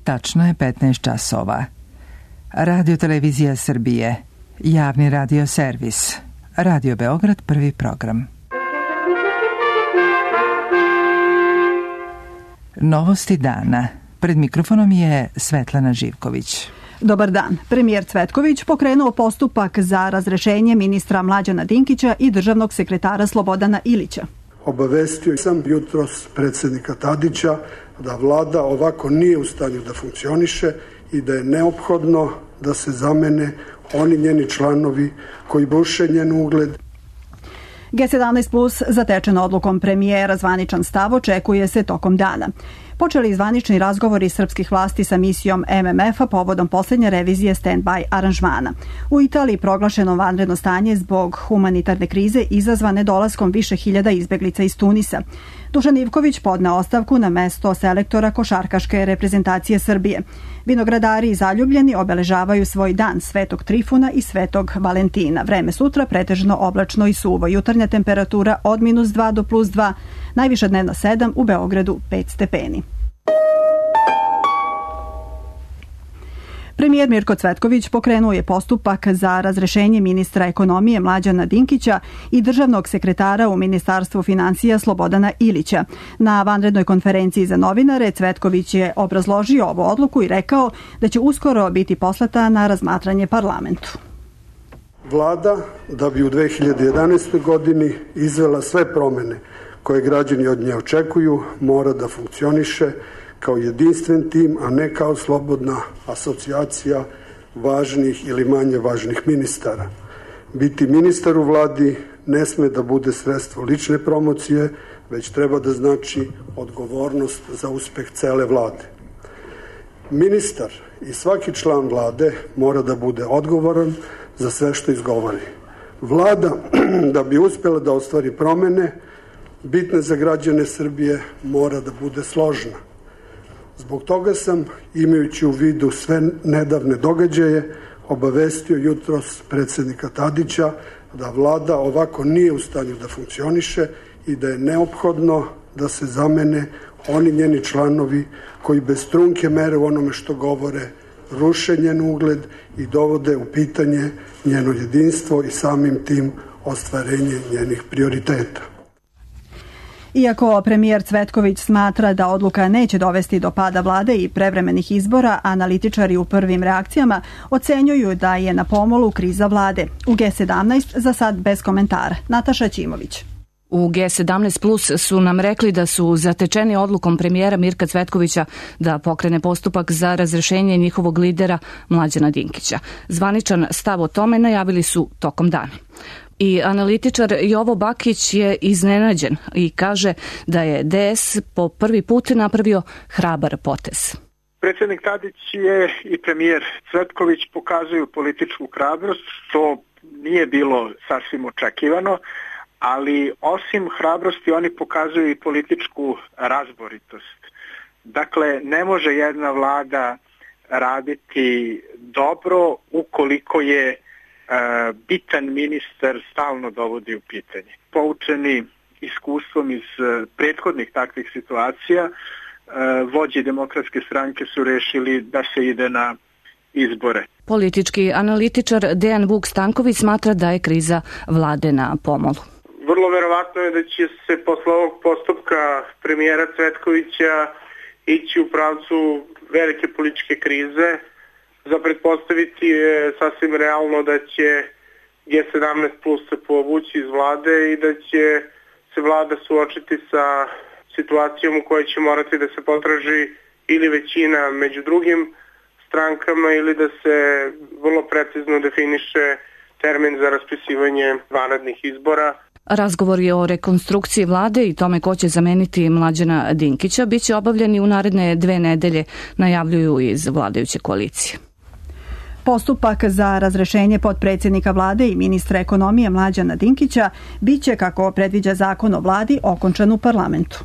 Tačno je 15 časova. Radio Televizija Srbije, javni radio servis, Radio Beograd, prvi program. Novosti dana. Pred mikrofonom je Svetlana Živković. Dobar dan. Premijer Cvetković pokrenuo postupak za razrešenje ministra Mlađana Dinkića i državnog sekretara Slobodana Ilića. Obavestio sam jutros predsjednika Tadića da vlada ovako nije u stanju da funkcioniše i da je neophodno da se zamene oni njeni članovi koji buše njen ugled. G17 plus zatečeno odlukom premijera, zvaničan stav očekuje se tokom dana. Počeli zvanični razgovori srpskih vlasti sa misijom MMF-a povodom posljednje revizije stand-by aranžmana. U Italiji proglašeno vanredno stanje zbog humanitarne krize izazvane dolaskom više hiljada izbeglica iz Tunisa. Dušan Ivković podneo ostavku na mesto selektora košarkaške reprezentacije Srbije. Vinogradari i zaljubljeni obeležavaju svoj dan Svetog Trifuna i Svetog Valentina. Vreme sutra pretežno oblačno i suvo. Jutarnja temperatura od -2 do +2, najviša dnevna 7, u Beogradu 5 stepeni. Premijer Mirko Cvetković pokrenuo je postupak za razrešenje ministra ekonomije Mlađana Dinkića i državnog sekretara u Ministarstvu finansija Slobodana Ilića. Na vanrednoj konferenciji za novinare Cvetković je obrazložio ovu odluku i rekao da će uskoro biti poslata na razmatranje parlamentu. Vlada, da bi u 2011. godini izvela sve promjene koje građani od nje očekuju, mora da funkcioniše kao jedinstven tim, a ne kao slobodna asocijacija važnih ili manje važnih ministara. Biti ministar u vladi ne sme da bude sredstvo lične promocije, već treba da znači odgovornost za uspeh cele vlade. Ministar i svaki član vlade mora da bude odgovoran za sve što izgovori. Vlada, da bi uspjela da ostvari promene bitne za građane Srbije, mora da bude složna. Zbog toga sam, imajući u vidu sve nedavne događaje, obavestio jutros predsjednika Tadića da vlada ovako nije u stanju da funkcioniše i da je neophodno da se zamene oni njeni članovi koji bez trunke mere u onome što govore ruše njen ugled i dovode u pitanje njeno jedinstvo i samim tim ostvarenje njenih prioriteta. Iako premijer Cvetković smatra da odluka neće dovesti do pada vlade i prevremenih izbora, analitičari u prvim reakcijama ocenjuju da je na pomolu kriza vlade. U G17 za sad bez komentara. Nataša Ćimović. U G17 plus su nam rekli da su zatečeni odlukom premijera Mirka Cvetkovića da pokrene postupak za razrešenje njihovog lidera Mlađana Dinkića. Zvaničan stav o tome najavili su tokom dana. I analitičar Jovo Bakić je iznenađen i kaže da je DS po prvi put napravio hrabar potez. Predsjednik Tadić je i premijer Cvetković pokazuju političku hrabrost, što nije bilo sasvim očekivano, ali osim hrabrosti oni pokazuju i političku razboritost. Dakle, ne može jedna vlada raditi dobro ukoliko je bitan ministar stalno dovodi u pitanje. Poučeni iskustvom iz prethodnih takvih situacija, vođe Demokratske stranke su rešili da se ide na izbore. Politički analitičar Dejan Vuk Stanković smatra da je kriza vlade na pomolu. Vrlo verovatno je da će se posle ovog postupka premijera Cvetkovića ići u pravcu velike političke krize. Za pretpostaviti je sasvim realno da će G17 plus se povući iz vlade i da će se vlada suočiti sa situacijom u kojoj će morati da se potraži ili većina među drugim strankama ili da se vrlo precizno definiše termin za raspisivanje vanrednih izbora. Razgovori o rekonstrukciji vlade i tome ko će zameniti Mlađana Dinkića biće obavljeni u naredne 2 nedelje, najavljuju iz vladajuće koalicije. Postupak za razrešenje potpredsjednika vlade i ministra ekonomije Mlađana Dinkića biće, kako predviđa zakon o vladi, okončan u parlamentu.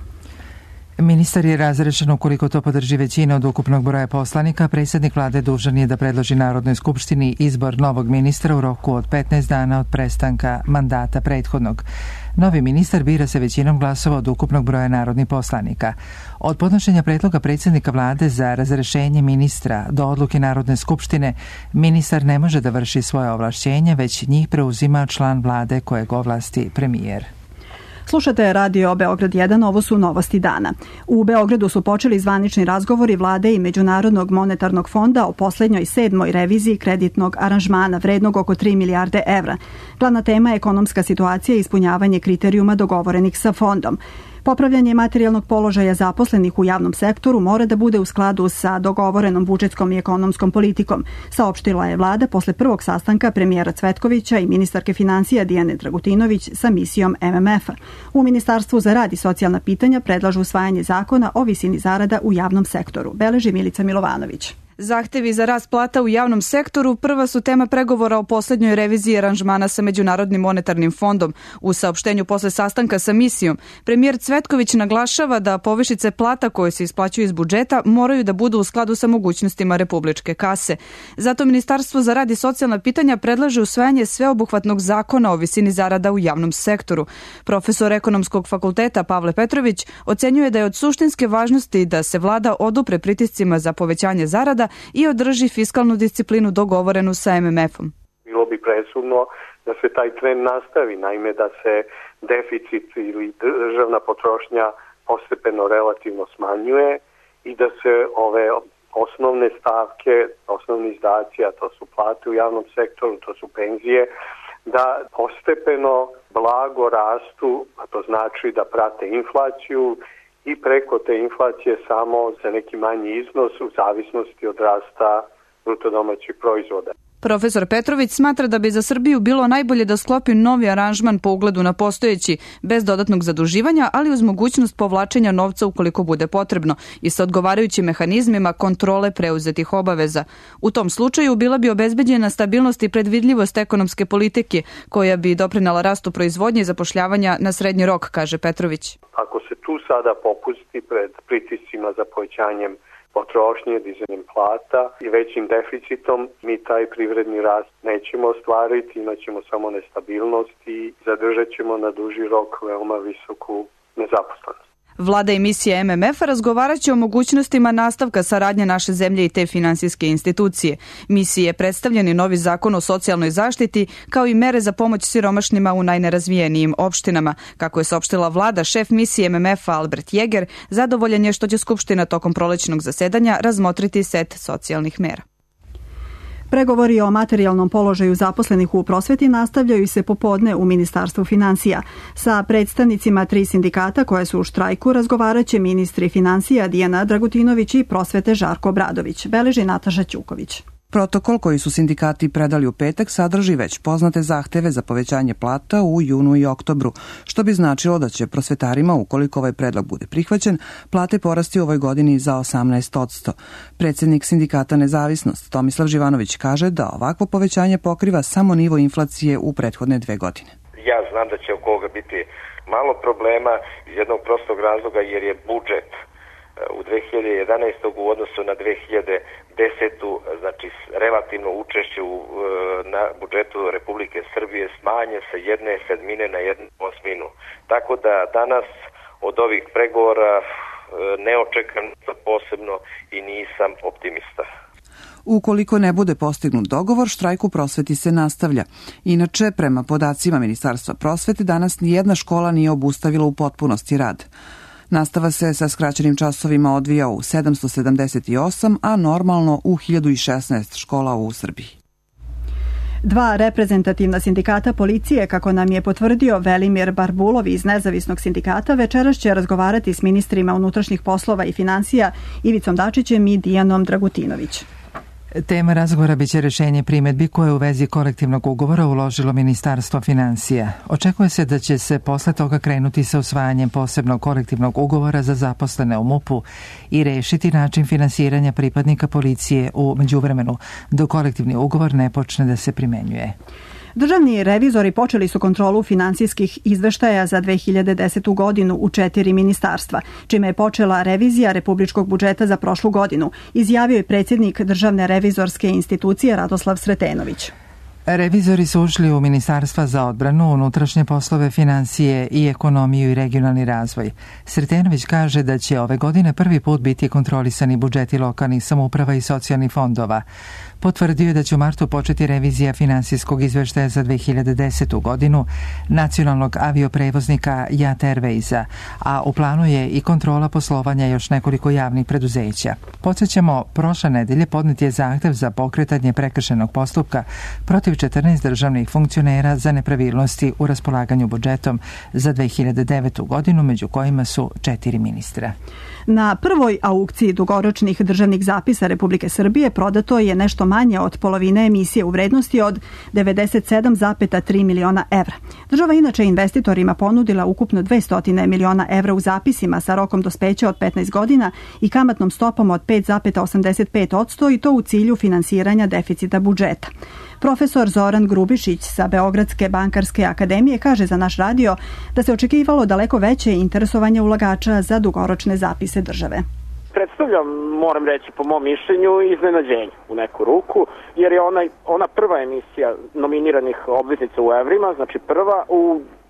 Ministar je razrešen ukoliko to podrži većina od ukupnog broja poslanika. Predsjednik vlade dužan je da predloži Narodnoj skupštini izbor novog ministra u roku od 15 dana od prestanka mandata prethodnog. Novi ministar bira se većinom glasova od ukupnog broja narodnih poslanika. Od podnošenja predloga predsjednika vlade za razrešenje ministra do odluke Narodne skupštine, ministar ne može da vrši svoje ovlašćenje, već njih preuzima član vlade kojeg ovlasti premijer. Slušate Radio Beograd 1, ovo su novosti dana. U Beogradu su počeli zvanični razgovori vlade i Međunarodnog monetarnog fonda o poslednjoj 7. reviziji kreditnog aranžmana vrednog oko 3 milijarde evra. Glavna tema je ekonomska situacija i ispunjavanje kriterijuma dogovorenih sa fondom. Popravljanje materijalnog položaja zaposlenih u javnom sektoru mora da bude u skladu sa dogovorenom budžetskom i ekonomskom politikom, saopštila je vlada posle prvog sastanka premijera Cvetkovića i ministarke financija Dijane Dragutinović sa misijom MMF-a. U Ministarstvu za rad i socijalna pitanja predlažu usvajanje zakona o visini zarada u javnom sektoru, beleži Milica Milovanović. Zahtevi za rast plata u javnom sektoru prva su tema pregovora o poslednjoj reviziji aranžmana sa Međunarodnim monetarnim fondom. U saopštenju posle sastanka sa misijom, premijer Cvetković naglašava da povišice plata koje se isplaćuju iz budžeta moraju da budu u skladu sa mogućnostima republičke kase. Zato Ministarstvo za rad i socijalna pitanja predlaže usvajanje sveobuhvatnog zakona o visini zarada u javnom sektoru. Profesor Ekonomskog fakulteta Pavle Petrović ocenjuje da je od suštinske važnosti da se vlada odupre pritiscima za povećanje zarada i održi fiskalnu disciplinu dogovorenu sa MMF-om. Bilo bi presudno da se taj trend nastavi, naime da se deficit ili državna potrošnja postepeno relativno smanjuje i da se ove osnovne stavke, osnovni izdaci, a to su plate u javnom sektoru, to su penzije, da postepeno blago rastu, a to znači da prate inflaciju i preko te inflacije samo za neki manji iznos u zavisnosti od rasta bruto domaćeg proizvoda. Profesor Petrović smatra da bi za Srbiju bilo najbolje da sklopi novi aranžman po ugledu na postojeći, bez dodatnog zaduživanja, ali uz mogućnost povlačenja novca ukoliko bude potrebno i sa odgovarajućim mehanizmima kontrole preuzetih obaveza. U tom slučaju bila bi obezbeđena stabilnost i predvidljivost ekonomske politike, koja bi doprinela rastu proizvodnje i zapošljavanja na srednji rok, kaže Petrović. Ako se tu sada popusti pred pritiscima za povećanjem potrošnje, dizanjem plata i većim deficitom, mi taj privredni rast nećemo ostvariti, imaćemo samo nestabilnost i zadržat ćemo na duži rok veoma visoku nezaposlenost. Vlada i misija MMF-a razgovarat će o mogućnostima nastavka saradnje naše zemlje i te finansijske institucije. Misiji je predstavljen i novi zakon o socijalnoj zaštiti, kao i mere za pomoć siromašnima u najnerazvijenijim opštinama. Kako je saopštila vlada, šef misije MMF-a Albert Jeger zadovoljan je što će Skupština tokom prolećnog zasedanja razmotriti set socijalnih mera. Pregovori o materijalnom položaju zaposlenih u prosveti nastavljaju se popodne u Ministarstvu financija. Sa predstavnicima 3 sindikata koje su u štrajku razgovarat će ministri financija Dijana Dragutinović i prosvete Žarko Obradović, beleži Nataša Ćuković. Protokol koji su sindikati predali u petak sadrži već poznate zahteve za povećanje plata u junu i oktobru, što bi značilo da će prosvetarima, ukoliko ovaj predlog bude prihvaćen, plate porasti u ovoj godini za 18%. Predsjednik sindikata Nezavisnost Tomislav Živanović kaže da ovakvo povećanje pokriva samo nivo inflacije u prethodne 2 godine. Ja znam da će oko ovoga biti malo problema iz jednog prostog razloga jer je budžet u 2011. u odnosu na 2010. znači relativno učešće na budžetu Republike Srbije smanje sa 1/7 na 1/8. Tako da danas od ovih pregovora ne očekam posebno i nisam optimista. Ukoliko ne bude postignut dogovor, štrajk u prosveti se nastavlja. Inače, prema podacima Ministarstva prosvete, danas nijedna škola nije obustavila u potpunosti rad. Nastava se sa skraćenim časovima odvija u 778, a normalno u 1016 škola u Srbiji. 2 reprezentativna sindikata policije, kako nam je potvrdio Velimir Barbulov iz Nezavisnog sindikata, večeras će razgovarati s ministrima unutrašnjih poslova i financija Ivicom Dačićem i Dijanom Dragutinović. Tema razgovora biće rešenje primedbi koje u vezi kolektivnog ugovora uložilo Ministarstvo financija. Očekuje se da će se posle toga krenuti sa usvajanjem posebnog kolektivnog ugovora za zaposlene u MUP-u i rešiti način finansiranja pripadnika policije u međuvremenu, dok kolektivni ugovor ne počne da se primenjuje. Državni revizori počeli su kontrolu finansijskih izveštaja za 2010. godinu u 4 ministarstva, čime je počela revizija republičkog budžeta za prošlu godinu, izjavio je predsjednik Državne revizorske institucije Radoslav Sretenović. Revizori su ušli u Ministarstva za odbranu, unutrašnje poslove, financije i ekonomiju i regionalni razvoj. Sretenović kaže da će ove godine prvi put biti kontrolisani budžeti lokalnih samouprava i socijalnih fondova. Potvrdio je da će u martu početi revizija finansijskog izveštaja za 2010. godinu nacionalnog avioprevoznika JAT Airwaysa, a u planu je i kontrola poslovanja još nekoliko javnih preduzeća. Podsjećamo, prošle nedelje podnet je zahtev za pokretanje prekršajnog postupka protiv 14 državnih funkcionera za nepravilnosti u raspolaganju budžetom za 2009. godinu, među kojima su 4 ministra. Na prvoj aukciji dugoročnih državnih zapisa Republike Srbije prodato je nešto manje od polovine emisije u vrednosti od 97,3 miliona evra. Država inače investitorima ponudila ukupno 200 miliona evra u zapisima sa rokom dospeća od 15 godina i kamatnom stopom od 5,85% i to u cilju finansiranja deficita budžeta. Profesor Zoran Grubišić sa Beogradske bankarske akademije kaže za naš radio da se očekivalo daleko veće interesovanje ulagača za dugoročne zapise države. Predstavljam, moram reći po mom mišljenju, iznenađenje u neku ruku, jer je ona prva emisija nominiranih obveznica u evrima, znači prva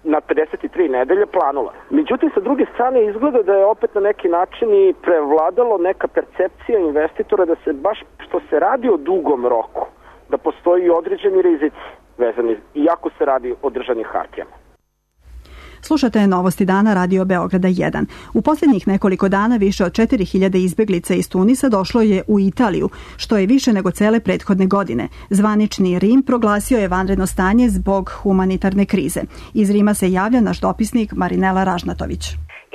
na 53 nedelje planula. Međutim, sa druge strane izgleda da je opet na neki način i prevladalo neka percepcija investitora da se baš što se radi o dugom roku, da postoji određeni rizici vezani, iako se radi o državnim hartijama. Slušate Novosti dana Radio Beograda 1. U posljednjih nekoliko dana više od 4000 izbeglica iz Tunisa došlo je u Italiju, što je više nego cele prethodne godine. Zvanični Rim proglasio je vanredno stanje zbog humanitarne krize. Iz Rima se javlja naš dopisnik Marinela Ražnatović.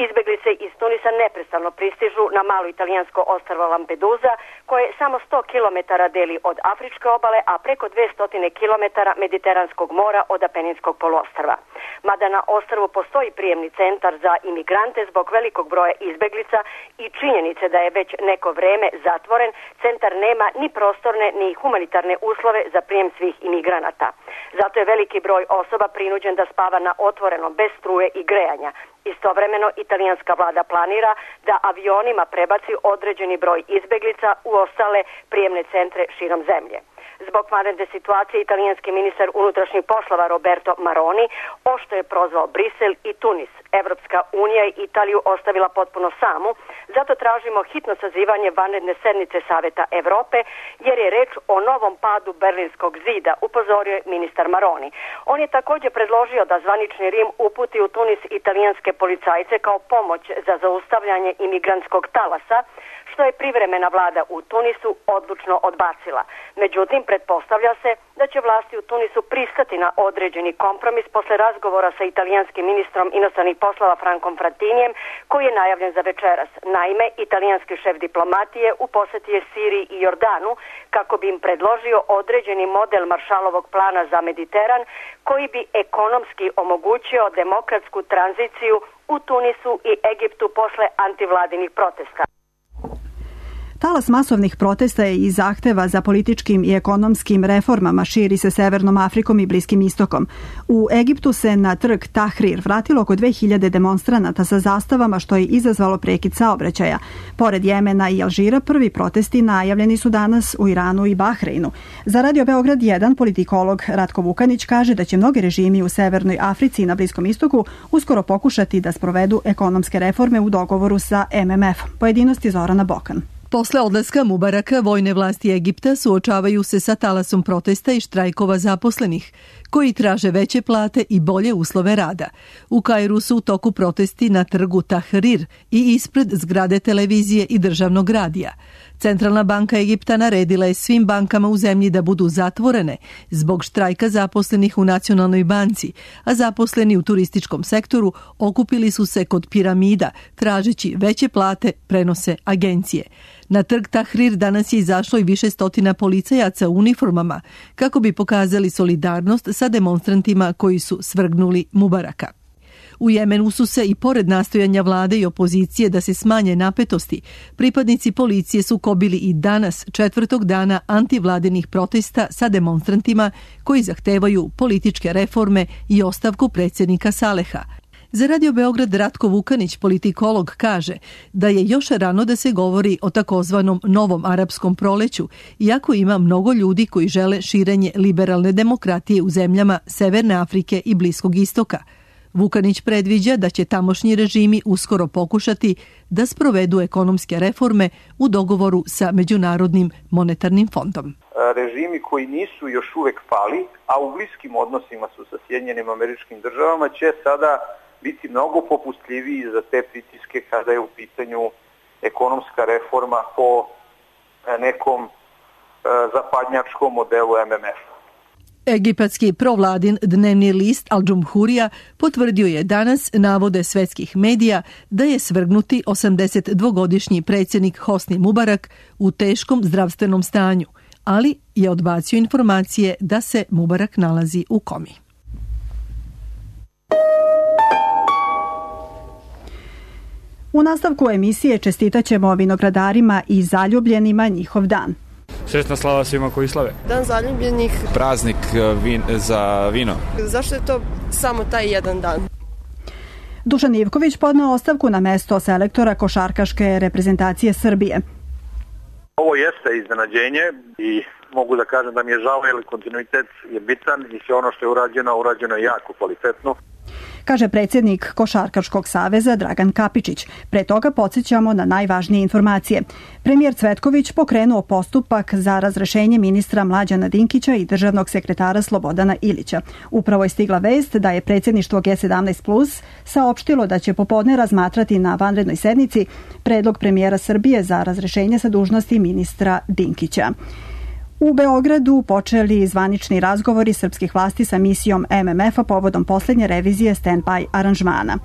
Izbeglice iz Tunisa neprestano pristižu na malo italijansko ostrvo Lampedusa, koje samo 100 km deli od Afričke obale, a preko 200 km Mediteranskog mora od Apeninskog poluostrva. Mada na ostrvu postoji prijemni centar za imigrante zbog velikog broja izbeglica i činjenice da je već neko vreme zatvoren, centar nema ni prostorne ni humanitarne uslove za prijem svih imigranata. Zato je veliki broj osoba prinuđen da spava na otvorenom bez struje i grejanja. Istovremeno, italijanska vlada planira da avionima prebaci određeni broj izbeglica u ostale prijemne centre širom zemlje. Zbog vanredne situacije, italijanski ministar unutrašnjih poslova Roberto Maroni ošto je prozvao Brisel i Tunis. Evropska unija i Italiju ostavila potpuno samu, zato tražimo hitno sazivanje vanredne sednice Saveta Evrope, jer je reč o novom padu Berlinskog zida, upozorio je ministar Maroni. On je također predložio da zvanični Rim uputi u Tunis italijanske policajce kao pomoć za zaustavljanje imigrantskog talasa, što je privremena vlada u Tunisu odlučno odbacila. Međutim, pretpostavlja se da će vlasti u Tunisu pristati na određeni kompromis posle razgovora sa italijanskim ministrom inostranih poslova Frankom Fratinijem, koji je najavljen za večeras. Naime, italijanski šef diplomatije u posjeti je Siriji i Jordanu kako bi im predložio određeni model Maršalovog plana za Mediteran, koji bi ekonomski omogućio demokratsku tranziciju u Tunisu i Egiptu posle antivladinih protesta. Talas masovnih protesta i zahteva za političkim i ekonomskim reformama širi se Severnom Afrikom i Bliskim istokom. U Egiptu se na trg Tahrir vratilo oko 2000 demonstranata sa zastavama, što je izazvalo prekid saobraćaja. Pored Jemena i Alžira, prvi protesti najavljeni su danas u Iranu i Bahreinu. Za Radio Beograd 1 politikolog Ratko Vukanić kaže da će mnogi režimi u Severnoj Africi i na Bliskom istoku uskoro pokušati da sprovedu ekonomske reforme u dogovoru sa MMF. Pojedinosti Zorana Bokan. Posle odlaska Mubaraka, vojne vlasti Egipta suočavaju se sa talasom protesta i štrajkova zaposlenih, koji traže veće plate i bolje uslove rada. U Kairu su u toku protesti na trgu Tahrir i ispred zgrade televizije i državnog radija. Centralna banka Egipta naredila je svim bankama u zemlji da budu zatvorene zbog štrajka zaposlenih u Nacionalnoj banci, a zaposleni u turističkom sektoru okupili su se kod piramida, tražeći veće plate, prenose agencije. Na trg Tahrir danas je izašlo i više stotina policajaca u uniformama kako bi pokazali solidarnost sa demonstrantima koji su svrgnuli Mubaraka. U Jemenu su se i pored nastojanja vlade i opozicije da se smanje napetosti, pripadnici policije sukobili i danas, 4. dana antivladenih protesta sa demonstrantima koji zahtevaju političke reforme i ostavku predsjednika Saleha. Za Radio Beograd Ratko Vukanić, politikolog, kaže da je još rano da se govori o takozvanom novom arapskom proleću, iako ima mnogo ljudi koji žele širenje liberalne demokratije u zemljama Severne Afrike i Bliskog istoka. Vukanić predviđa da će tamošnji režimi uskoro pokušati da sprovedu ekonomske reforme u dogovoru sa Međunarodnim monetarnim fondom. Režimi koji nisu još uvek pali, a u bliskim odnosima su sa Sjedinjenim Američkim Državama, će sada biti mnogo popustljiviji za te pritiske kada je u pitanju ekonomska reforma po nekom zapadnjačkom modelu MMF-a. Egipatski provladin dnevni list Al Džumhurija potvrdio je danas navode svetskih medija da je svrgnuti 82-godišnji predsjednik Hosni Mubarak u teškom zdravstvenom stanju, ali je odbacio informacije da se Mubarak nalazi u komi. U nastavku emisije čestitaćemo vinogradarima i zaljubljenima njihov dan. Sretna slava svima koji slave. Dan zaljubljenih. Praznik za vino. Zašto je to samo taj jedan dan? Dušan Ivković podneo ostavku na mesto selektora košarkaške reprezentacije Srbije. Ovo jeste iznenađenje i mogu da kažem da mi je žao jer kontinuitet je bitan i sve ono što je urađeno je jako kvalitetno. Kaže predsjednik Košarkaškog saveza Dragan Kapičić. Pre toga podsjećamo na najvažnije informacije. Premijer Cvetković pokrenuo postupak za razrešenje ministra Mlađana Dinkića i državnog sekretara Slobodana Ilića. Upravo je stigla vest da je predsjedništvo G17+ saopštilo da će popodne razmatrati na vanrednoj sednici predlog premijera Srbije za razrešenje sa dužnosti ministra Dinkića. U Beogradu počeli zvanični razgovori srpskih vlasti sa misijom MMF-a povodom posljednje revizije stand-by aranžmana.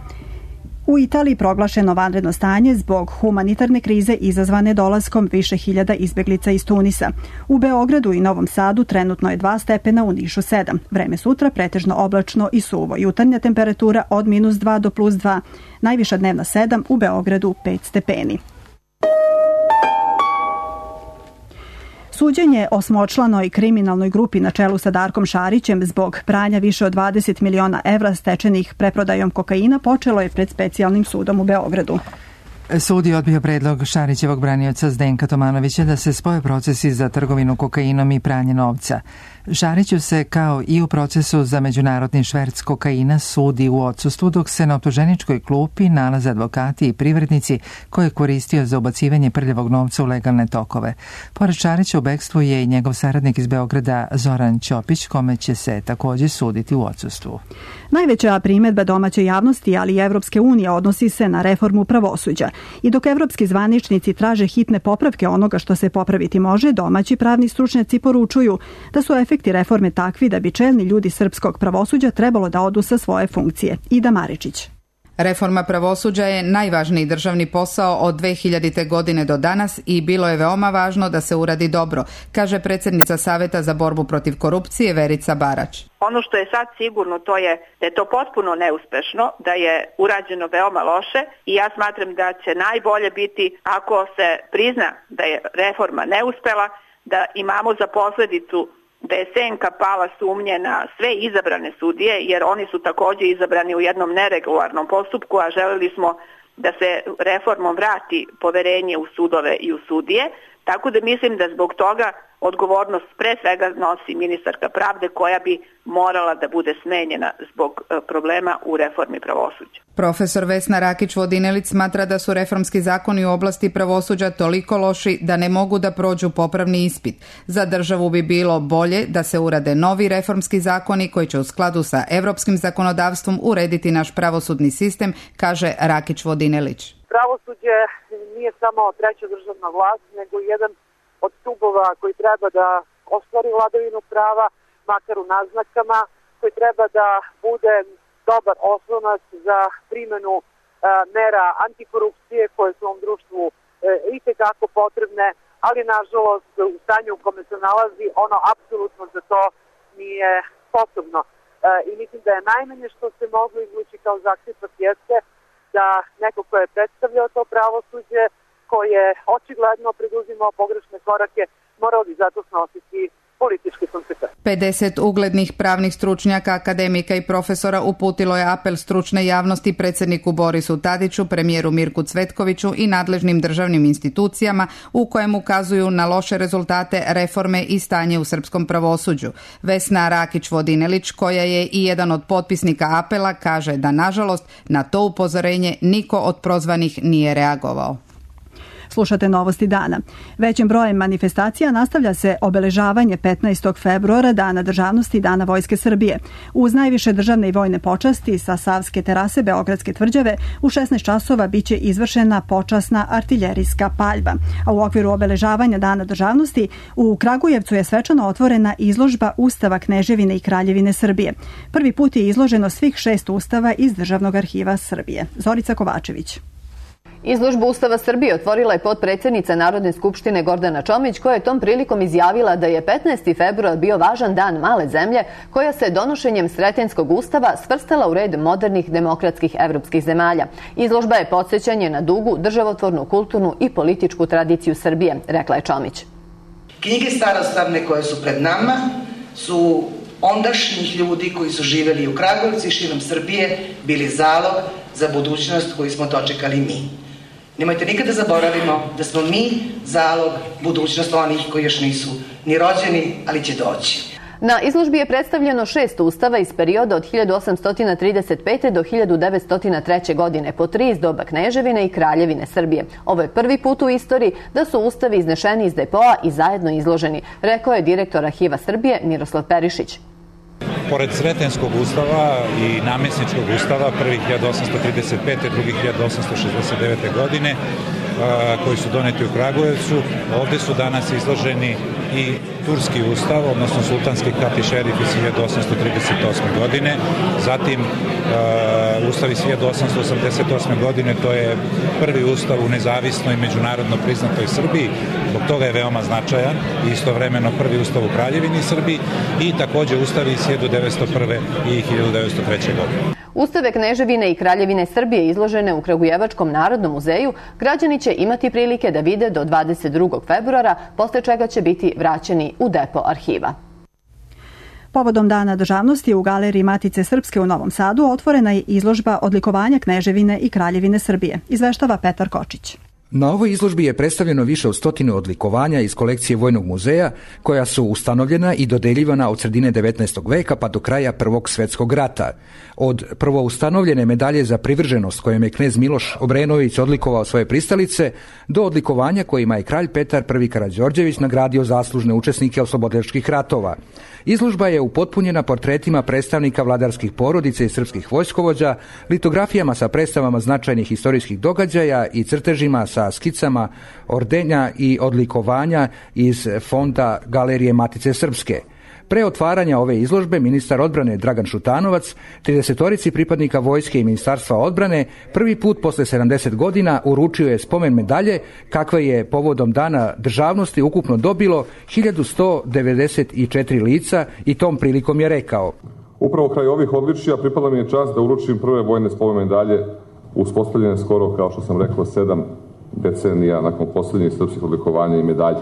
U Italiji proglašeno vanredno stanje zbog humanitarne krize izazvane dolaskom više hiljada izbeglica iz Tunisa. U Beogradu i Novom Sadu trenutno je 2 stepena, u Nišu 7. Vreme sutra pretežno oblačno i suvo. Jutarnja temperatura od -2 do +2. Najviša dnevna 7, u Beogradu 5 stepeni. Suđenje osmočlanoj kriminalnoj grupi na čelu sa Darkom Šarićem zbog pranja više od 20 miliona evra stečenih preprodajom kokaina počelo je pred specijalnim sudom u Beogradu. Sud je odbio predlog Šarićevog branioca Zdenka Tomanovića da se spoje procesi za trgovinu kokainom i pranje novca. Šariću se, kao i u procesu za međunarodni šverc kokaina, sudi u odsustvu, dok se na optuženičkoj klupi nalaze advokati i privrednici koje je koristio za ubacivanje prljavog novca u legalne tokove. Pored Šarića u bekstvu je i njegov saradnik iz Beograda Zoran Ćopić, kome će se također suditi u odsustvu. Najveća primjedba domaće javnosti, ali i Evropske unije, odnosi se na reformu pravosuđa. I dok evropski zvaničnici traže hitne popravke onoga što se popraviti može, domaći pravni stručnjaci poručuju da su efekti reforme takvi da bi čelni ljudi srpskog pravosuđa trebalo da odu sa svoje funkcije. Ida Maričić. Reforma pravosuđa je najvažniji državni posao od 2000. godine do danas i bilo je veoma važno da se uradi dobro, kaže predsjednica Saveta za borbu protiv korupcije Verica Barać. Ono što je sad sigurno to je da je to potpuno neuspešno, da je urađeno veoma loše i ja smatram da će najbolje biti ako se prizna da je reforma neuspela, da imamo za posledicu da je senka pala sumnje na sve izabrane sudije, jer oni su također izabrani u jednom neregularnom postupku, a želeli smo da se reformom vrati poverenje u sudove i u sudije, tako da mislim da zbog toga odgovornost pre svega nosi ministarka pravde koja bi morala da bude smenjena zbog problema u reformi pravosuđa. Profesor Vesna Rakić-Vodinelić smatra da su reformski zakoni u oblasti pravosuđa toliko loši da ne mogu da prođu popravni ispit. Za državu bi bilo bolje da se urade novi reformski zakoni koji će u skladu sa evropskim zakonodavstvom urediti naš pravosudni sistem, kaže Rakić-Vodinelić. Pravosuđe nije samo treća državna vlast, nego jedan od stubova koji treba da ostvari vladavinu prava, makar u naznakama, koji treba da bude dobar oslonac za primjenu mera antikorupcije koje su u ovom društvu itekako potrebne, ali nažalost u stanju u kome se nalazi ono apsolutno za to nije sposobno. i mislim da je najmanje što se moglo izvući kao zaključak jeste da neko ko je predstavljao to pravosuđe, ko je očigledno preduzimao pogrešne korake, morao bi zato snositi političke konsekvence. 50 uglednih pravnih stručnjaka, akademika i profesora uputilo je apel stručne javnosti predsjedniku Borisu Tadiću, premijeru Mirku Cvetkoviću i nadležnim državnim institucijama u kojem ukazuju na loše rezultate reforme i stanje u srpskom pravosuđu. Vesna Rakić-Vodinelić, koja je i jedan od potpisnika apela, kaže da nažalost na to upozorenje niko od prozvanih nije reagovao. Slušate Novosti dana. Većim brojem manifestacija nastavlja se obeležavanje 15. februara, Dana državnosti i Dana Vojske Srbije. Uz najviše državne i vojne počasti sa Savske terase Beogradske tvrđave u 16 časova biće izvršena počasna artiljerijska paljba. A u okviru obeležavanja Dana državnosti u Kragujevcu je svečano otvorena izložba Ustava Kneževine i Kraljevine Srbije. Prvi put je izloženo svih 6 ustava iz Državnog arhiva Srbije. Zorica Kovačević. Izložbu Ustava Srbije otvorila je potpredsjednica Narodne skupštine Gordana Čomić, koja je tom prilikom izjavila da je 15. februar bio važan dan male zemlje koja se donošenjem Sretenjskog ustava svrstala u red modernih demokratskih evropskih zemalja. Izložba je podsjećanje na dugu, državotvornu, kulturnu i političku tradiciju Srbije, rekla je Čomić. Knjige starostavne koje su pred nama su ondašnjih ljudi koji su živjeli u Kragujevcu i širom Srbije bili zalog za budućnost koju smo dočekali mi. Nemojte nikada zaboravimo da smo mi zalog budućnost onih koji još nisu ni rođeni, ali će doći. Na izložbi je predstavljeno 6 ustava iz perioda od 1835. do 1903. godine, po 3 iz doba Kneževine i Kraljevine Srbije. Ovo je prvi put u istoriji da su ustavi iznešeni iz depoa i zajedno izloženi, rekao je direktor Arhiva Srbije Miroslav Perišić. Pored Sretenjskog ustava i Namjesničkog ustava, prvi 1835. drugi 1869. godine, koji su doneti u Kragujevcu, ovdje su danas izloženi i Turski ustav, odnosno Sultanski kat i šerif iz 1838. godine, zatim ustav iz 1888. godine, to je prvi ustav u nezavisnoj međunarodno priznatoj Srbiji, zbog toga je veoma značajan i istovremeno prvi ustav u Kraljevini Srbiji i također ustavi iz 1901. i 1903. godine. Ustave Kneževine i Kraljevine Srbije izložene u Kragujevačkom Narodnom muzeju građani će imati prilike da vide do 22. februara, posle čega će biti vraćeni u depo arhiva. Povodom Dana državnosti u Galeriji Matice Srpske u Novom Sadu otvorena je izložba odlikovanja Kneževine i Kraljevine Srbije, izveštava Petar Kočić. Na ovoj izložbi je predstavljeno više od 100 odlikovanja iz kolekcije Vojnog muzeja, koja su ustanovljena i dodeljivana od sredine 19. veka pa do kraja Prvog svjetskog rata. Od prvo ustanovljene medalje za privrženost kojom je knez Miloš Obrenović odlikovao svoje pristalice, do odlikovanja kojima je kralj Petar I Karađorđević nagradio zaslužne učesnike oslobodilačkih ratova. Izložba je upotpunjena portretima predstavnika vladarskih porodica i srpskih vojskovođa, litografijama sa predstavama značajnih istorijskih događaja i crtežima sa skicama ordenja i odlikovanja iz fonda Galerije Matice Srpske. Pre otvaranja ove izložbe ministar odbrane Dragan Šutanovac 30 pripadnika vojske i ministarstva odbrane prvi put posle 70 godina uručio je spomen medalje kakve je povodom Dana državnosti ukupno dobilo 1194 lica i tom prilikom je rekao: Upravo kraj ovih odličija pripala mi je čast da uručim prve vojne spomen medalje uspostavljene skoro, kao što sam rekao, 7 decenija nakon posljednjih srpskih odlikovanja i medalja.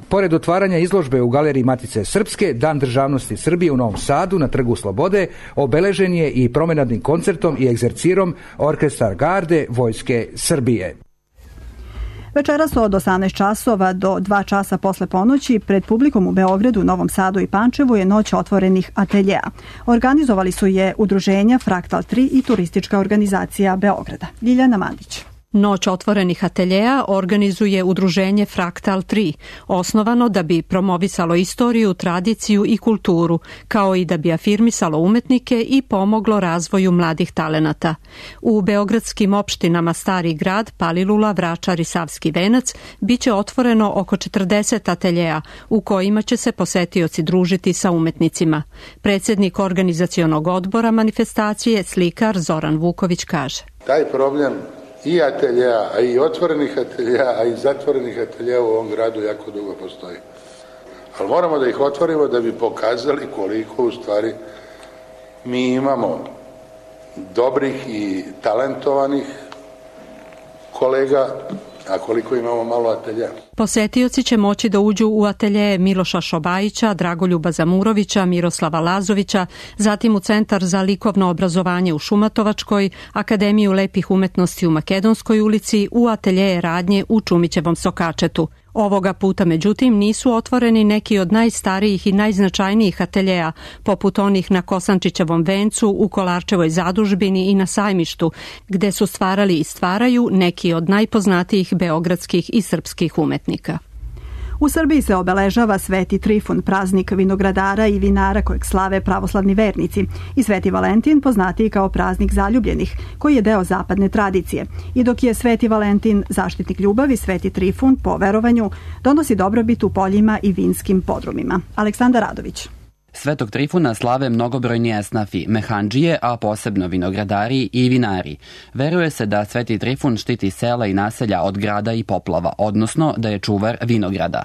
Pored otvaranja izložbe u Galeriji Matice Srpske, Dan državnosti Srbije u Novom Sadu na Trgu Slobode obeležen je i promenadnim koncertom i egzercirom Orkestar garde Vojske Srbije. Večeras od 18 časova do 2 časa posle ponoći pred publikom u Beogradu, Novom Sadu i Pančevu je noć otvorenih ateljea. Organizovali su je udruženja Fraktal 3 i turistička organizacija Beograda. Ljiljana Mandić. Noć otvorenih ateljea organizuje udruženje Fraktal 3, osnovano da bi promovisalo istoriju, tradiciju i kulturu, kao i da bi afirmisalo umetnike i pomoglo razvoju mladih talenata. U beogradskim opštinama Stari grad, Palilula, Vračar i Savski venac biće otvoreno oko 40 ateljea u kojima će se posetioci družiti sa umetnicima. Predsjednik organizacionog odbora manifestacije, slikar Zoran Vuković, kaže: Taj problem i ateljeja, a i otvorenih ateljeja, a i zatvorenih ateljeja u ovom gradu jako dugo postoji. Ali moramo da ih otvorimo da bi pokazali koliko u stvari Mi imamo dobrih i talentovanih kolega, a koliko imamo malo atelja. Posetioci će moći da uđu u atelje Miloša Šobajića, Dragoljuba Zamurovića, Miroslava Lazovića, zatim u Centar za likovno obrazovanje u Šumatovačkoj, Akademiju lepih umetnosti u Makedonskoj ulici, u atelje radnje u Čumićevom Sokačetu. Ovoga puta, međutim, nisu otvoreni neki od najstarijih i najznačajnijih ateljeja, poput onih na Kosančićevom vencu, u Kolarčevoj zadužbini i na Sajmištu, gde su stvarali i stvaraju neki od najpoznatijih beogradskih i srpskih umetnika. U Srbiji se obeležava Sveti Trifun, praznik vinogradara i vinara kojeg slave pravoslavni vernici, i Sveti Valentin, poznatiji kao praznik zaljubljenih, koji je deo zapadne tradicije. I dok je Sveti Valentin zaštitnik ljubavi, Sveti Trifun, po verovanju, donosi dobrobit u poljima i vinskim podrumima. Aleksandar Radović. Svetog Trifuna slave mnogobrojni esnafi, mehandžije, a posebno vinogradari i vinari. Veruje se da Sveti Trifun štiti sela i naselja od grada i poplava, odnosno da je čuvar vinograda.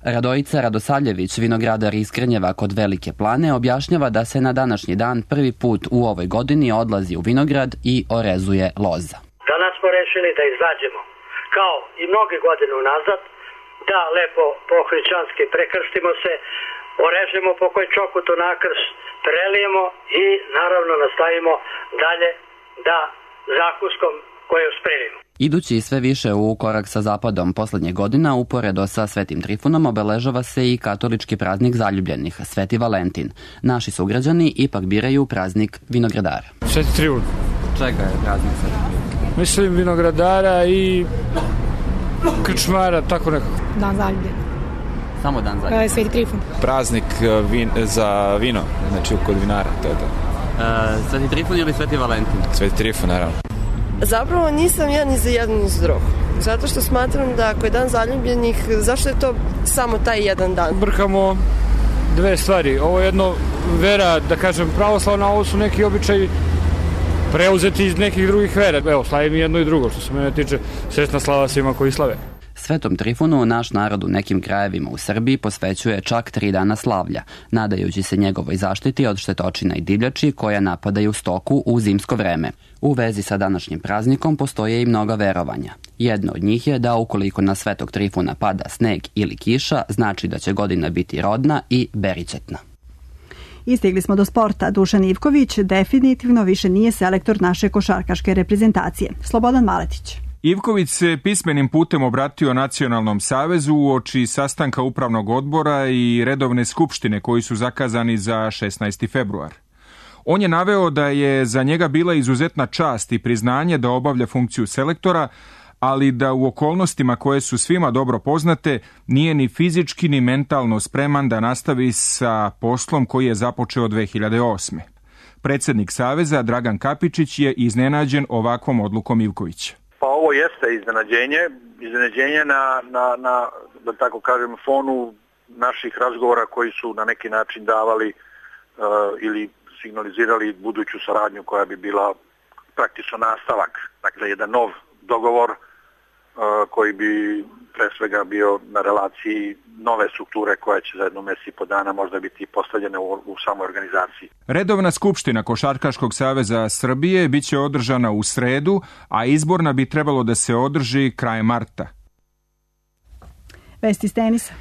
Radojica Radosavljević, vinogradar iz Krnjeva kod Velike Plane, objašnjava da se na današnji dan prvi put u ovoj godini odlazi u vinograd i orezuje loza. Danas smo rešili da izađemo, kao i mnoge godine unazad, da lepo po hrišćanski prekrstimo se, orežemo po koji čokutu nakrst, prelijemo i naravno nastavimo dalje da zakuskom koju spremimo. Idući sve više u korak sa zapadom poslednje godina, uporedo sa Svetim Trifunom obeležava se i katolički praznik zaljubljenih, Sveti Valentin. Naši sugrađani ipak biraju praznik vinogradara. Sveti Trifun. Čega je praznik Sveti Trifun? Mislim vinogradara i krčmara, tako nekako. Dan zaljubljenih. Samo dan zaljubljenih. Sveti Trifun. Praznik za vino, znači kod vinara, to je to. Sveti Trifun ili Sveti Valentin? Sveti Trifun, naravno. Zapravo nisam ja ni za jedan ni za drugog. Zato što smatram da ako je dan zaljubljenih, zašto je to samo taj jedan dan? Brkamo dve stvari. Ovo je jedno vera, da kažem, pravoslavna, a ovo su neki običaji preuzeti iz nekih drugih vera. Evo, slavim jedno i drugo, što se mene tiče, srećna slava svima koji slave. Svetom Trifunu naš narod u nekim krajevima u Srbiji posvećuje čak 3 dana slavlja, nadajući se njegovoj zaštiti od štetočina i divljači koja napadaju stoku u zimsko vreme. U vezi sa današnjim praznikom postoje i mnoga verovanja. Jedno od njih je da ukoliko na Svetog Trifuna pada sneg ili kiša, znači da će godina biti rodna i beričetna. Istigli smo do sporta. Dušan Ivković definitivno više nije selektor naše košarkaške reprezentacije. Slobodan Maletić. Ivković se pismenim putem obratio Nacionalnom savezu uoči sastanka upravnog odbora i redovne skupštine koji su zakazani za 16. februar. On je naveo da je za njega bila izuzetna čast i priznanje da obavlja funkciju selektora, ali da u okolnostima koje su svima dobro poznate nije ni fizički ni mentalno spreman da nastavi sa poslom koji je započeo 2008. Predsjednik Saveza Dragan Kapičić je iznenađen ovakvom odlukom Ivkovića. Pa ovo jeste iznenađenje na da tako kažem, fonu naših razgovora koji su na neki način davali ili signalizirali buduću saradnju koja bi bila praktično nastavak, dakle jedan nov dogovor koji bi pre svega bio na relaciji nove strukture koja će za jedno mjesec i po dana možda biti postavljena u samoj organizaciji. Redovna skupština Košarkaškog saveza Srbije biće održana u sredu, a izborna bi trebalo da se održi krajem marta. Vesti iz tenisa.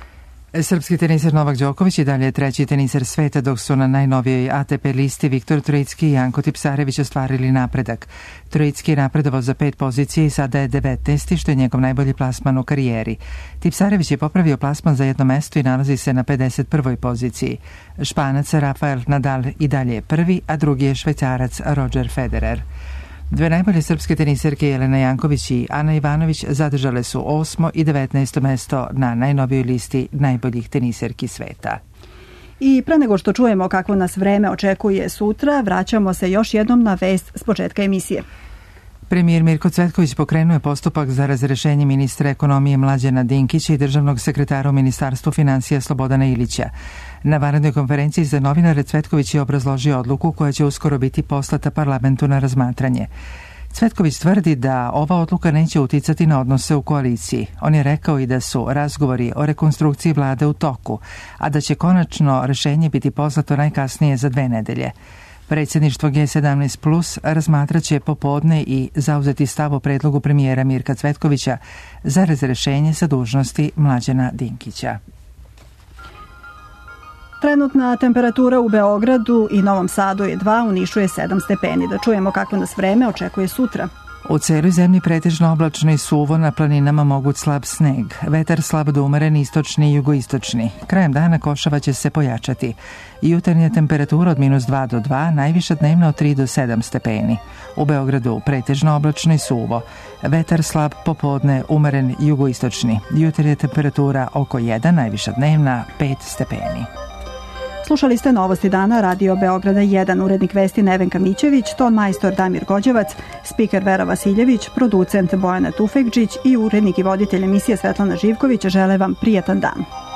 Srpski teniser Novak Đoković i dalje je treći teniser sveta, dok su na najnovijoj ATP listi Viktor Trojicki i Janko Tipsarević ostvarili napredak. Trojicki je napredovao za 5 pozicije i sada je 19. što je njegov najbolji plasman u karijeri. Tipsarević je popravio plasman za jedno mesto i nalazi se na 51. poziciji. Španac Rafael Nadal i dalje je prvi, a drugi je Švajcarac Roger Federer. Dve najbolje srpske teniserke Jelena Janković i Ana Ivanović zadržale su 8. i 19. mesto na najnovijoj listi najboljih teniserki sveta. I pre nego što čujemo kako nas vreme očekuje sutra, vraćamo se još jednom na vest s početka emisije. Premijer Mirko Cvetković pokrenuo je postupak za razrešenje ministra ekonomije Mlađana Dinkića i državnog sekretara u Ministarstvu finansija Slobodana Ilića. Na vanrednoj konferenciji za novinare Cvetković je obrazložio odluku koja će uskoro biti poslata parlamentu na razmatranje. Cvetković tvrdi da ova odluka neće uticati na odnose u koaliciji. On je rekao i da su razgovori o rekonstrukciji vlade u toku, a da će konačno rešenje biti poslato najkasnije za 2 nedelje. Predsjedništvo G17 Plus razmatraće popodne i zauzeti stav o predlogu premijera Mirka Cvetkovića za razrešenje sa dužnosti Mlađana Dinkića. Trenutna temperatura u Beogradu i Novom Sadu je 2, u Nišu je 7 stepeni. Da čujemo kako nas vreme očekuje sutra. U celoj zemlji pretežno oblačno i suvo, na planinama moguć slab sneg. Vetar slab do umeren istočni i jugoistočni. Krajem dana košava će se pojačati. Jutarnja temperatura od -2 do 2, najviša dnevna od 3 do 7 stepeni. U Beogradu pretežno oblačno i suvo. Vetar slab popodne, umeren jugoistočni. Jutarnja temperatura oko 1, najviša dnevna 5 stepeni. Slušali ste Novosti dana Radio Beograda 1, urednik vesti Nevenka Mićević, ton majstor Damir Gođevac, spiker Vera Vasiljević, producent Bojana Tufekđić i urednik i voditelj emisije Svetlana Živković žele vam prijatan dan.